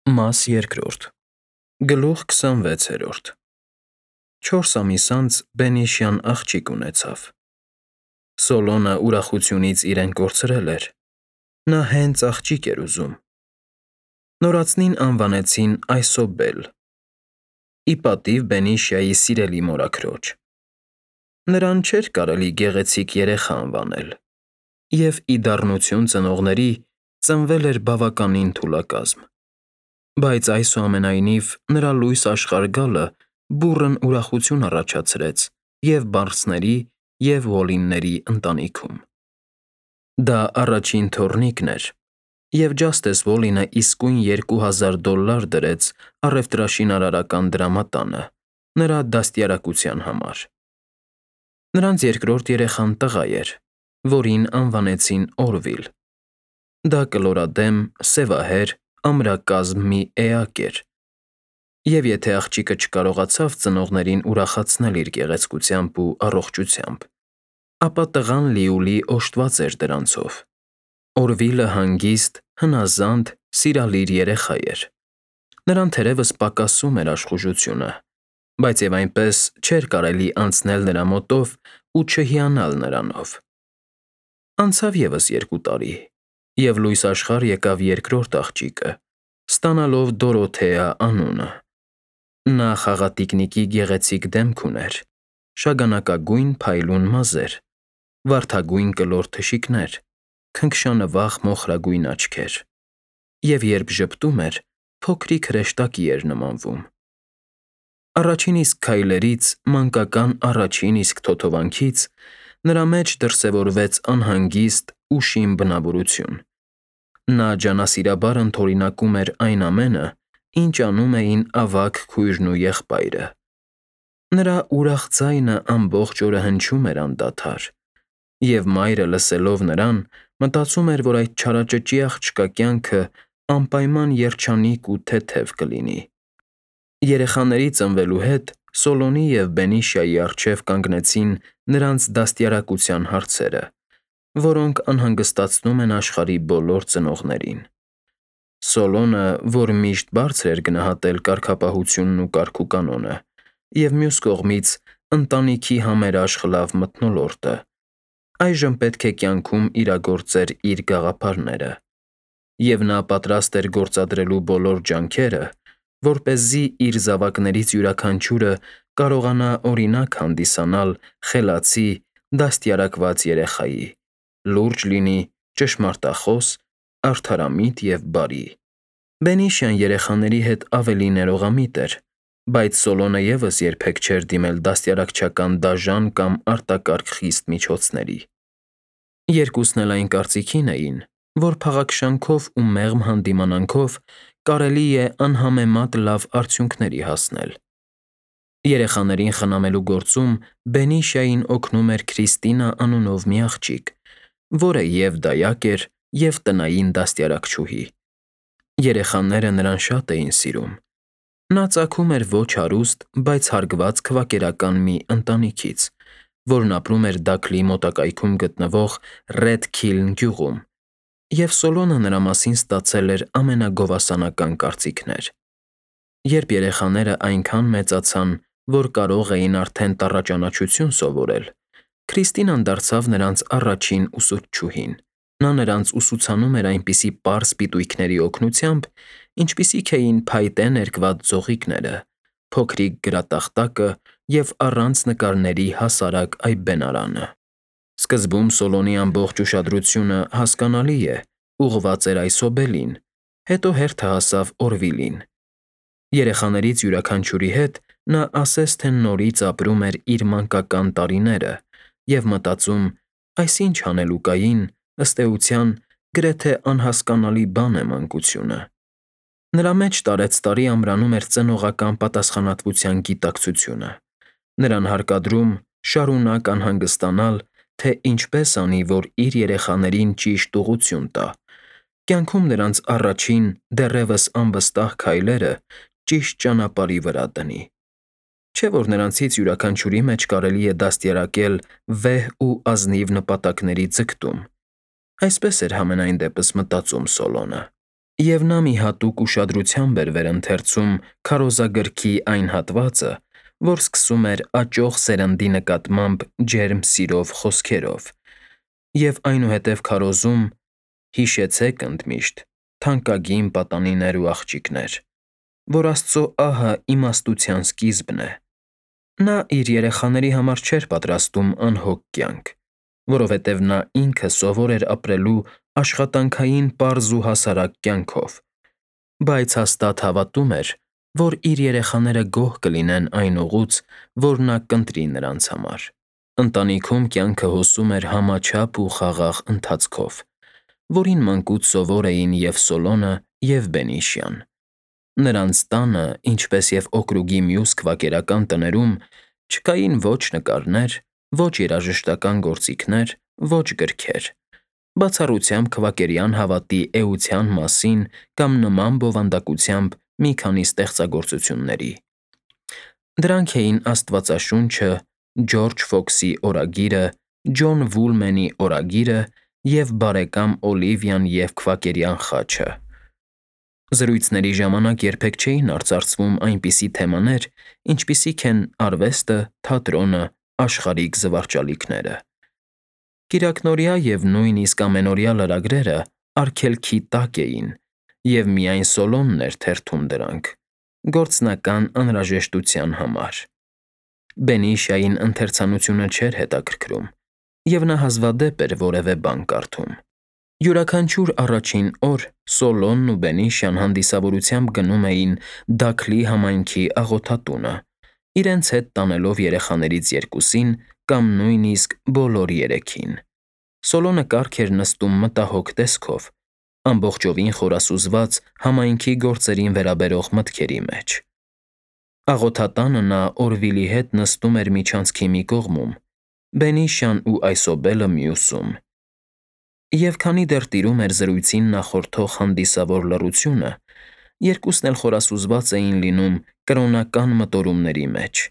Մաս երկրորդ Գլուխ 26 4 ամիս անց բենիշյան աղջիկ ունեցավ։ Սոլոնը ուրախությունից իրեն կորցրել էր։ Նա հենց աղջիկ էր ուզում։ Նորածնին անվանեցին Այսոբել, ի պատիվ Բենիշյայի սիրելի մորաքրոջ։ Նրան չէր կարելի գեղեցիկ երեխա անվանել, և ի դառնություն ծնողների ծնվել էր բավականին թուլակազմ։ Բայց այսուամենայնիվ նրա լույս աշխարհ գալը բուռն ուրախություն առաջացրեց և՛ բարձների, և՛ Ուոլլինգների ընտանիքում։ Դա առաջին թոռնիկն էր, և Ջաստես Ուոլլինը իսկույն $2000 դրեց առևտրաշինարարական դրամատանը նրա դաստիարակության համար։ Նրանց երկրորդ երեխան տղա էր, որին անվանեցին Օրվիլ։ Դա կլորադեմ, սևահեր, ամրակազմ մի էակ էր, և եթե աղջիկը չկարողացավ ծնողներին ուրախացնել իր գեղեցկությամբ ու առողջությամբ, ապա տղան լիուլի օժտված էր դրանցով։ Օրվիլը հանգիստ, հնազանդ, սիրալիր երեխա էր։ Նրան թերևս պակասում էր աշխուժությունը, բայց և այնպես չէր կարելի անցնել նրա մոտով ու չհիանալ նրանով։ Անցավ ևս 2 տարի, և լույս աշխարհ եկավ երկրորդ աղջիկը, ստանալով Դորոթեա անունը։ Նա խաղատիկնիկի գեղեցիկ դեմք ուներ, շագանակագույն փայլուն մազեր, վարդագույն կլոր թշիկներ, քնքշանվախ մոխրագույն աչքեր, և երբ ժպտում էր, փոքրիկ հրեշտակի էր նմանվում։ Առաջին իսկ քայլերից, մանկական առաջին իսկ թոթովանքից նրա մեջ դրսևորվեց անհանգիստ, ուշիմ բնավորություն։ Նա ջանասիրաբար ընդօրինակում էր այն ամենը, ինչ անում էին ավագ քույրն ու եղբայրը։ Նրա ուրախ ձայնը ամբողջ օրը հնչում էր անդադար, և մայրը լսելով նրան, մտածում էր, որ այդ չարաճճի աղջկա կյանքը անպայման երջանիկ ու թեթև կլինի։ Երեխաների ծնվելու հետ Սոլոմոնի և Բենիշյայի առջև կանգնեցին նրանց դաստիարակության հարցերը, որոնք անհանգստացնում են աշխարհի բոլոր ծնողներին։ Սոլոմոնը, որ միշտ բարձր էր գնահատել կարգապահությունն ու կարգուկանոնը, և մյուս կողմից ընտանիքի համերաշխ լավ մթնոլորտը, այժմ պետք է կյանքում իրագործեր իր գաղափարները, և նա պատրաստ էր գործադրելու բոլոր ջանքերը, որպեսզի իր զավակներից յուրաքանչյուրը կարողանա օրինակ հանդիսանալ խելացի, դաստիարակված երեխայի, լուրջ լինի, ճշմարտախոս, արդարամիտ և բարի։ Բենիշյան երեխաների հետ ավելի ներողամիտ էր, բայց Սոլոմոնը ևս երբեք չէր դիմել դաստիարակչական դաժան կամ արտակարգ խիստ միջոցների։ Երկուսն էլ այն կարծիքին էին, որ փաղաքշանքով ու մեղմ հանդիմանանքով կարելի է անհամեմատ լավ արդյունքների հասնել։ Երեխաներին խնամելու գործում Բենիշյային օգնում էր Քրիստինա անունով մի աղջիկ, որը և՛ դայակ էր, և՛ տնային դաստիարակչուհի։ Երեխաները նրան շատ էին սիրում։ Նա ծագում էր ոչ հարուստ, բայց հարգված քվակերական մի ընտանիքից, որն ապրում էր Դաքլի մոտակայքում գտնվող Ռեդ Քիլն գյուղում, և Սոլոմոնը նրա մասին ստացել էր ամենագովասանական կարծիքներ։ Երբ երեխաները այնքան մեծացան, որ կարող էին արդեն տառաճանաչություն սովորել, Քրիստինան դարձավ նրանց առաջին ուսուցչուհին։ Նա նրանց ուսուցանում էր այնպիսի պարզ պիտույքների օգնությամբ, ինչպիսիք էին փայտե ներկված ձողիկները, փոքրիկ գրատախտակը և առանց նկարների հասարակ այբբենարանը։ Սկզբում Սոլոմոնի ամբողջ ուշադրությունը, հասկանալի է, ուղղված էր Այսոբելին, հետո հերթը հասավ Օրվիլին։ Երեխաներից յուրաքանչյուրի հետ նա ասես թե նորից ապրում էր իր մանկական տարիները և մտածում. «Այս ինչ հանելուկային, ըստ էության, գրեթե անհասկանալի բան է մանկությունը»։ Նրա մեջ տարեցտարի ամրանում էր ծնողական պատասխանատվության գիտակցությունը։ Նրան հարկադրում շարունակ անհանգստանալ, թե ինչպես անի, որ իր երեխաներին ճիշտ ուղղություն տա, կյանքում նրանց առաջին, դեռևս անվստահ քայլերը ճիշտ ճանապարհի վրա դնի։ Չէ՞ որ նրանցից յուրաքանչյուրի մեջ կարելի է դաստիարակել վեհ ու ազնիվ նպատակների ձգտում։ Այսպես էր համենայն դեպս մտածում Սոլոմոնը։ Եվ նա մի հատուկ ուշադրությամբ էր վերընթերցում քարոզագրքի այն հատվածը, որ սկսում էր աճող սերնդի նկատմամբ ջերմ սիրով խոսքերով, և այնուհետև քարոզում. «Հիշեցեք ընդմիշտ, թանկագին պատանիներ ու աղջիկներ, որ Աստծո ահը իմաստության սկիզբն է»։ Նա իր երեխաների համար չէր պատրաստում անհոգ կյանք, որովհետև նա ինքը սովոր էր ապրելու աշխատանքային պարզ ու հասարակ կյանքով, բայց հաստատ հավատում էր, որ իր երեխաները գոհ կլինեն այն ուղուց, որ նա կընտրի նրանց համար։ Ընտանիքում կյանքը հոսում էր համաչափ ու խաղաղ ընթացքով, որին մանկուց սովոր էին և Սոլոնը, և Բենիշյան։ Նրանց տանը, ինչպես և օկրուգի մյուս քվակերական տներում, չկային ոչ նկարներ, ոչ երաժշտական գործիքներ, ոչ գրքեր, բացառությամբ քվակերյան հավատի էության մասին կամ նման բովանդակությամբ մի քանի ստեղծագործությունների։ Դրանք էին Աստվածաշունչը, Ջորջ Ֆոքսի օրագիրը, Ջոն Վուլմենի օրագիրը և բարեկամ Օլիվիան և քվակերյան խաչը։ Զրույցների ժամանակ երբեք չէին արծարծվում այնպիսի թեմաներ, ինչպիսիք են արվեստը, թատրոնը, աշխարհիկ զվարճալիքները։ Կիրակնօրյա և նույնիսկ ամենօրյա լրագրերը արգելքի տակ էին, և միայն Սոլոնն էր թերթում դրանք՝ գործնական անհրաժեշտության համար։ Բենիշային ընթերցանությունը չէր հետաքրքրում, և նա հազվադեպ էր որևէ բան կարդում։ Յուրաքանչյուր առաջին օր Սոլոնն ու Բենիշյան հանդիսավորությամբ գնում էին Դաքլի համայնքի աղոթատունը, իրենց հետ տանելով երեխաներից երկուսին կամ նույնիսկ բոլոր երեքին։ Սոլոնը կառք էր նստում մտահոգ տեսքով, ամբողջովին խորասուզված համայնքի գործերին վերաբերող մտքերի մեջ։ Աղոթատանը նա Օրվիլի հետ նստում էր միջանցքի մի կողմում, Բենիշյան ու այսոբելը մյուսում։ Եվ քանի դեռ տիրում էր զրույցին նախորդող հանդիսավոր լռությունը, երկուսն էլ խորասուզված էին լինում կրոնական մտորումների մեջ,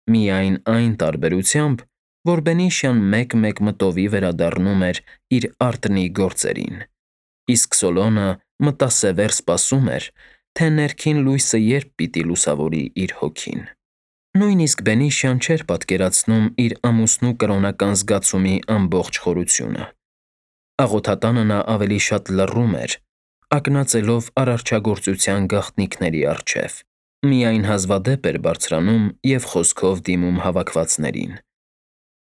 միայն այն տարբերությամբ, որ Բենիշյան մեկ-մեկ մտովի վերադառնում էր իր արտնի գործերին, իսկ Սոլոնը մտասևեր սպասում էր, թե ներքին լույսը երբ պիտի լուսավորի իր հոգին։ Նույնիսկ Բենիշյան չէր պատկերացնում իր ամուսնու կրոնական զգացումի ամբողջ խորությունը։ Աղոթատանը նա ավելի շատ լռում էր, ակնածելով արարչագործության գաղտնիքների առջև, միայն հազվադեպ էր բարձրանում և խոսքով դիմում հավաքվածներին։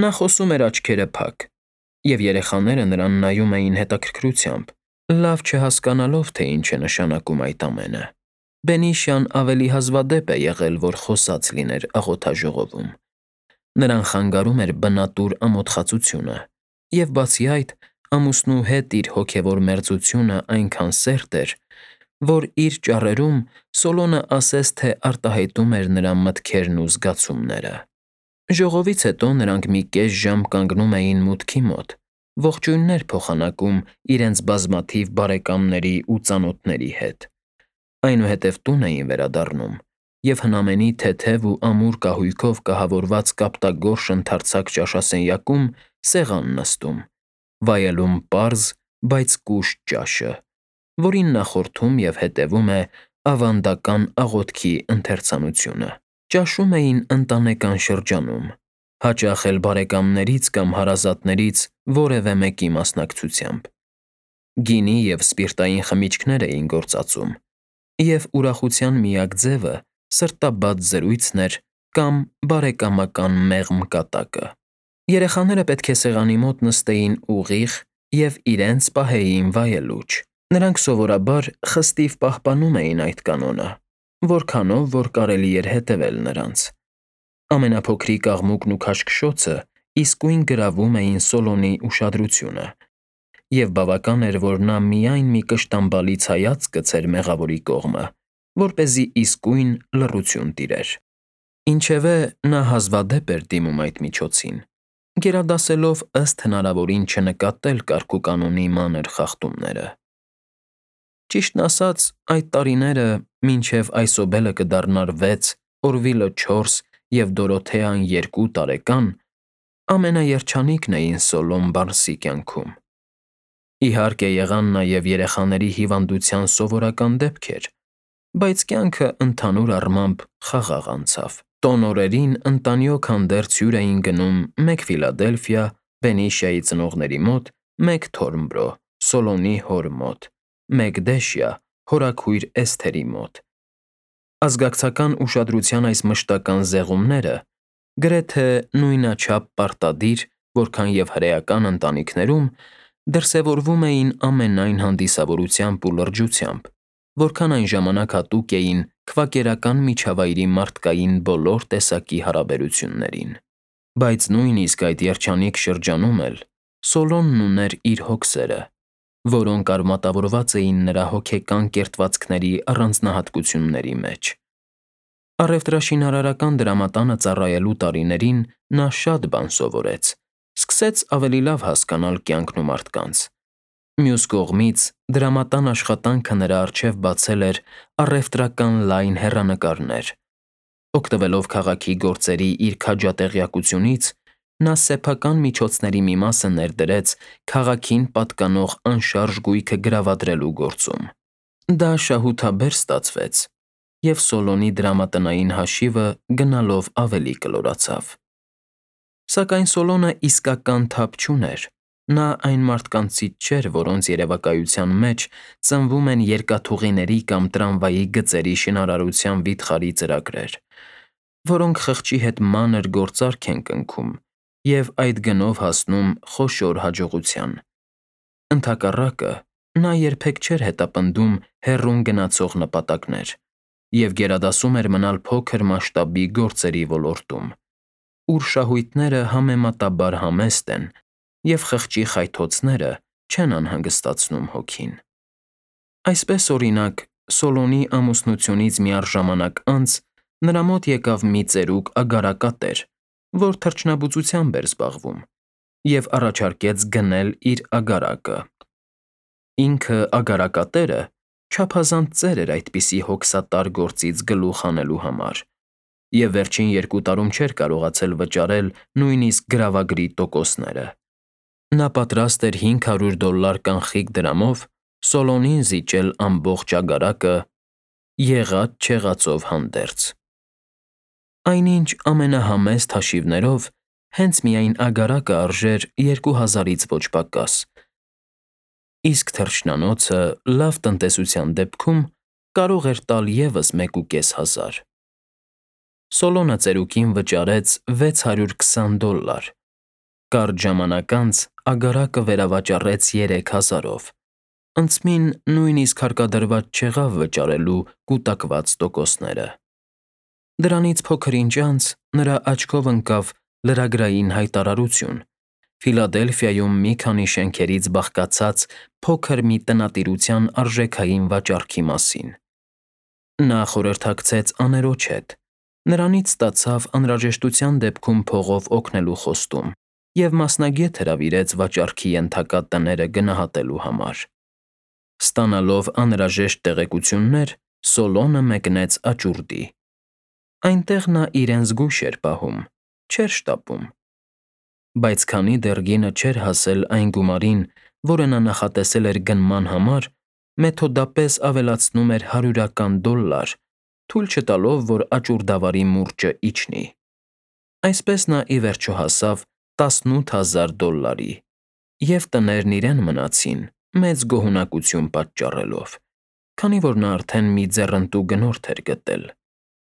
Նա խոսում էր աչքերը փակ, և երեխաները նրան նայում էին հետաքրքրությամբ, լավ չհասկանալով, թե ինչ է նշանակում այդ ամենը։ Բենիշյան ավելի հազվադեպ է եղել, որ խոսած լիներ աղոթաժողովում։ Նրան խանգարում էր բնատուր ամոթխածությունը, և բացի այդ, ամուսնու հետ իր հոգևոր մերձությունը այնքան սերտ էր, որ իր ճառերում Սոլոնը ասես թե արտահայտում էր նրա մտքերն ու զգացումները։ Ժողովից հետո նրանք մի կես ժամ կանգնում էին մուտքի մոտ, ողջույններ փոխանակում իրենց բազմաթիվ բարեկամների ու ծանոթների հետ, այնուհետև տուն էին վերադառնում և հնամենի թեթև ու ամուր կահույքով կահավորված կապտագորշ ընդարձակ ճաշասենյակում սեղան նստում, վայելում պարզ, բայց կուշտ ջաշը, որին նախորդում և հետևում է ավանդական աղոթքի ընթերցանությունը։ Ճաշում էին ընտանեկան շրջանում, հաճախ էլ բարեկամներից կամ հարազատներից որևէ մեկի մասնակցությամբ։ Գինի և սպիրտային խմիչքներ էին գործածում, և ուրախության միակ ձևը սրտաբաց զրույցն էր կամ բարեկամական մեղմ կատակը։ Երեխաները պետք է սեղանի մոտ նստեին ուղիղ և իրենց պահեին վայելուչ։ Նրանք սովորաբար խստիվ պահպանում էին այդ կանոնը, որքանով որ կարելի էր հետևել նրանց։ Ամենափոքրիկ աղմուկն ու քաշքշոցը իսկույն գրավում էին Սոլոնի ուշադրությունը, և բավական էր, որ նա միայն մի կշտամբալից հայացք գցեր մեղավորի կողմը, որպեսզի իսկույն լռություն տիրեր։ Ինչևէ, նա հազվադեպ էր դիմում այդ միջոցին, գերադասելով ըստ հնարավորին չնկատել կարգուկանոնի մանր խախտումները։ Ճիշտն ասած, այդ տարիները, մինչև այսոբելը կդառնար 6, Օրվիլը 4 և Դորոթեան 2 տարեկան, ամենաերջանիկն էին Սոլոն Բարնսի կյանքում։ Իհարկե եղան նաև երեխաների հիվանդության սովորական դեպքեր, բայց կյանքը ընդհանուր առմամբ խաղաղ անցավ։ Տոնորերին ընտանիոք հանդերձ հյուր էին գնում մեկ Ֆիլադելֆիա, Բենիշիայի ծնողների մոտ, մեկ Թորնբրո, Սոլոնի հոր մոտ, մեկ Դեշիա, հորաքույր Էսթերի մոտ։ Ազգակցական ուշադրության այս մշտական զեղումները գրեթե նույնաչափ պարտադիր, որքան և հրեական ընտանիքներում, դրսևորվում էին ամենայն հանդիսավորությամբ ու լրջությամբ, որքան այն ժամանակ հատուկ էին քվակերական միջավայրի մարդկային բոլոր տեսակի հարաբերություններին։ Բայց նույնիսկ այդ երջանիկ շրջանում էլ Սոլոնն ուներ իր հոգսերը, որոնք արմատավորված էին նրա հոգեկան կերտվածքների առանձնահատկությունների մեջ։ Առևտրաշինարարական դրամատանը ծառայելու տարիներին նա շատ բան սովորեց, սկսեց ավելի լավ հասկանալ կյանքն ու մարդկանց։ Մյուս կողմից, դրամատան աշխատանքը նրա առջև բացել էր առևտրական լայն հեռանկարներ։ Օգտվելով քաղաքի գործերի իր քաջատեղյակությունից, նա սեփական միջոցների մի մասը ներդրեց քաղաքին պատկանող անշարժ գույքը գրավադրելու գործում։ Դա շահութաբեր ստացվեց, և Սոլոնի դրամատնային հաշիվը գնալով ավելի կլորացավ։ Սակայն Սոլոնը իսկական թափ չուներ։ Նա այն մարդկանցից չէր, որոնց երևակայության մեջ ծնվում են երկաթուղիների կամ տրամվայի գծերի շինարարության վիթխարի ծրագրեր, որոնք խղճի հետ մանր գործարք են կնքում և այդ գնով հասնում խոշոր հաջողության։ Ընդհակառակը, նա երբեք չէր հետապնդում հեռուն գնացող նպատակներ և գերադասում էր մնալ փոքր մասշտաբի գործերի ոլորտում, ուր շահույթները համեմատաբար համեստ են և խղճի խայթոցները չեն անհանգստացնում հոգին։ Այսպես, օրինակ, Սոլոնի ամուսնությունից միառժամանակ անց նրա մոտ եկավ մի ծերուկ ագարակատեր, որ թռչնաբուծությամբ էր զբաղվում, և առաջարկեց գնել իր ագարակը։ Ինքը ագարակատերը չափազանց ծեր էր այդպիսի հոգսատար գործից գլուխ հանելու համար, և վերջին 2 տարում չէր կարողացել վճարել նույնիսկ գրավագրի տոկոսները։ Նա պատրաստ էր $500 կանխիկ դրամով Սոլոնին զիջել ամբողջ ագարակը եղած֊չեղածով հանդերձ։ Այնինչ ամենահամեստ հաշիվներով հենց միայն ագարակը արժեր 2000-ից ոչ պակաս, իսկ թռչնանոցը լավ տնտեսության դեպքում կարող էր տալ ևս $1500։ Սոլոնը ծերուկին վճարեց $620։ Կարճ ժամանակ անց ագարակը վերավաճառեց 3000-ով, ընծմին նույնիսկ հարկադրված չեղավ վճարելու կուտակված տոկոսները։ Դրանից փոքր-ինչ անց նրա աչքով ընկավ լրագրային հայտարարություն Ֆիլադելֆիայում մի քանի շենքերից բաղկացած փոքր մի տնտիրության արժեքային վաճառքի մասին։ Նա խորհրդակցեց աներոջ հետ, նրանից ստացավ անհրաժեշտության դեպքում փողով օգնելու խոստում և մասնագետ հրավիրեց վաճառքի ենթակա տները գնահատելու համար։ Ստանալով անհրաժեշտ տեղեկություններ, Սոլոնը մեկնեց աճուրդի։ Այնտեղ նա իրեն զգույշ էր պահում, չէր շտապում։ Բայց քանի դեռ գինը չէր հասել այն գումարին, որը նա նախատեսել էր գնման համար, մեթոդապես ավելացնում էր $100, թույլ չտալով, որ աճուրդավարի մուրճը իջնի։ Այսպես նա ի վերջո հասավ $18000, և տներն իրեն մնացին մեծ գոհունակություն պատճառելով, քանի որ նա արդեն մի ձեռնտու գնորդ էր գտել։